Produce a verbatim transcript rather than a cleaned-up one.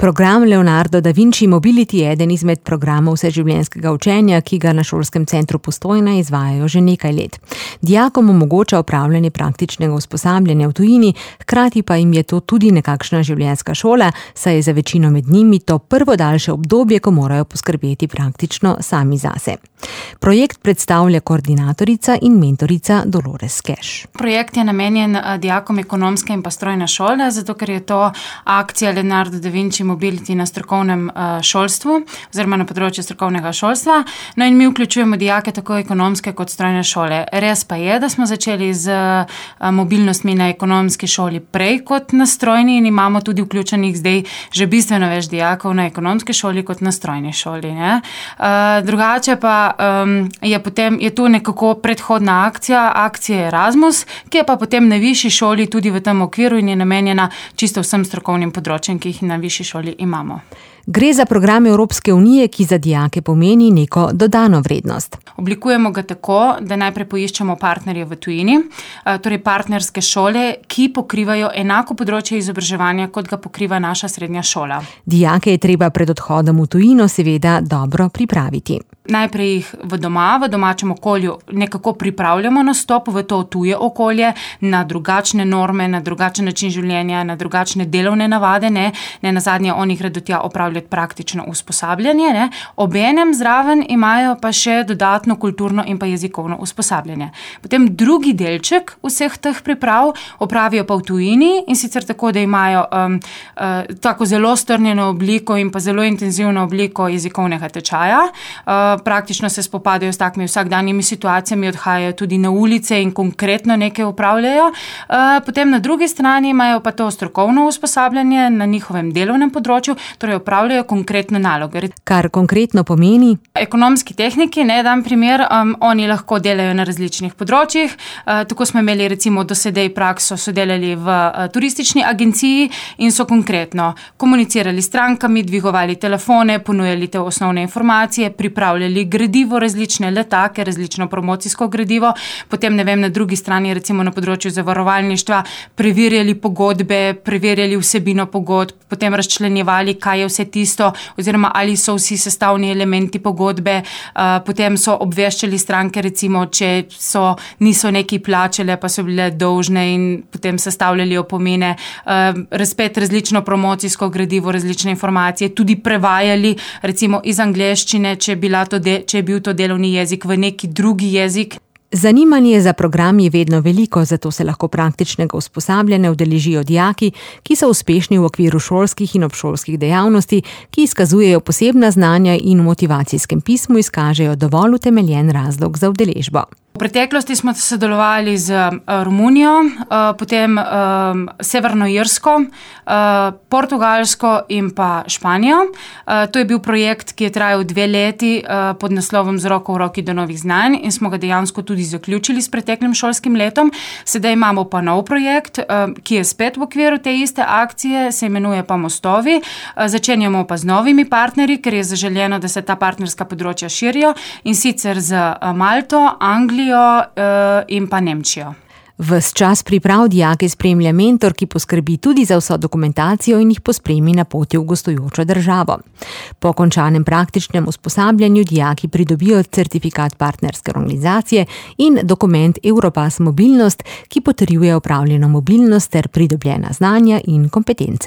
Program Leonardo da Vinci Mobility je eden izmed programov vseživljenjskega učenja, ki ga na Šolskem centru Postojna izvajajo že nekaj let. Dijakom omogoča opravljanje praktičnega usposabljanja v tujini, hkrati pa jim je to tudi nekakšna življenjska šola, saj je za večino med njimi to prvo daljše obdobje, ko morajo poskrbeti praktično sami zase. Projekt predstavlja koordinatorica in mentorica Dolores Keš. Projekt je namenjen dijakom ekonomske in pa strojne šole, zato ker je to akcija Leonardo da Vinci Mobility na strokovnem šolstvu, oziroma na področju strokovnega šolstva. No in mi vključujemo dijake tako ekonomske kot strojne šole. Res pa je, da smo začeli z mobilnostmi na ekonomski šoli prej kot na strojni in imamo tudi vključenih zdaj že bistveno več dijakov na ekonomski šoli kot na strojni šoli. Ne? Drugače pa um, je potem je tu nekako predhodna akcija, akcija Erasmus, ki je pa potem na višji šoli tudi v tem okviru in je namenjena čisto vsem strokovnim področjem, ki jih na višji šoli imamo. Gre za program Evropske unije, ki za dijake pomeni neko dodano vrednost. Oblikujemo ga tako, da najprej poiščemo partnerje v tujini, torej partnerske šole, ki pokrivajo enako področje izobraževanja, kot ga pokriva naša srednja šola. Dijake je treba pred odhodom v tujino seveda dobro pripraviti. Najprej jih v doma, v domačem okolju nekako pripravljamo na stop v to tuje okolje, na drugačne norme, na drugačen način življenja, na drugačne delovne navade, ne, ne nazadnje oni gredo tja opravljati praktično usposabljanje, ne. Obenem zraven imajo pa še dodatno kulturno in pa jezikovno usposabljanje. Potem drugi delček vseh teh priprav opravijo pa v tujini in sicer tako, da imajo um, uh, tako zelo strnjeno obliko in pa zelo intenzivno obliko jezikovnega tečaja. Uh, Praktično se spopadajo s takimi vsakdanjimi situacijami, odhajajo tudi na ulice in konkretno nekaj upravljajo. Potem na drugi strani imajo pa to strokovno usposabljanje na njihovem delovnem področju, torej upravljajo konkretno naloge. Kar konkretno pomeni? Ekonomski tehniki, ne dan primer, um, oni lahko delajo na različnih področjih. Uh, tako smo imeli recimo do sedaj prakso, so delali v uh, turistični agenciji in so konkretno komunicirali s strankami, dvigovali telefone, ponujali te osnovne informacije, pripravljali gradivo, različne letake, različno promocijsko gradivo, potem ne vem, na drugi strani recimo na področju zavarovalništva preverjali pogodbe, preverjali vsebino pogodb, potem razčlenjevali, kaj je vse tisto, oziroma ali so vsi sestavni elementi pogodbe, uh, potem so obveščali stranke recimo, če so, niso nekaj plačale, pa so bile dolžne in potem sestavljali opomine, uh, razpet različno promocijsko gradivo, različne informacije, tudi prevajali recimo iz angleščine, če bila to De, če je bil to delovni jezik v neki drugi jezik. Zanimanje za program je vedno veliko, zato se lahko praktičnega usposabljanja udeležijo dijaki, ki so uspešni v okviru šolskih in obšolskih dejavnosti, ki izkazujejo posebna znanja in v motivacijskem pismu izkažejo dovolj utemeljen razlog za udeležbo. V preteklosti smo sodelovali z Romunijo, potem Severno Irsko, Portugalsko in pa Španijo. To je bil projekt, ki je trajal dve leti pod naslovom Z roko v roki do novih znanj in smo ga dejansko tudi zaključili s preteklim šolskim letom. Sedaj imamo pa nov projekt, ki je spet v okviru te iste akcije, se imenuje pa Mostovi. Začenjamo pa z novimi partnerji, ker je zaželjeno, da se ta partnerska področja širijo in sicer z Malto, Anglijo in pa Nemčijo. Ves čas priprav dijake spremlja mentor, ki poskrbi tudi za vso dokumentacijo in jih pospremi na poti v gostujočo državo. Po končanem praktičnem usposabljanju dijaki pridobijo certifikat partnerske organizacije in dokument Europass Mobilnost, ki potrjuje opravljeno mobilnost ter pridobljena znanja in kompetence.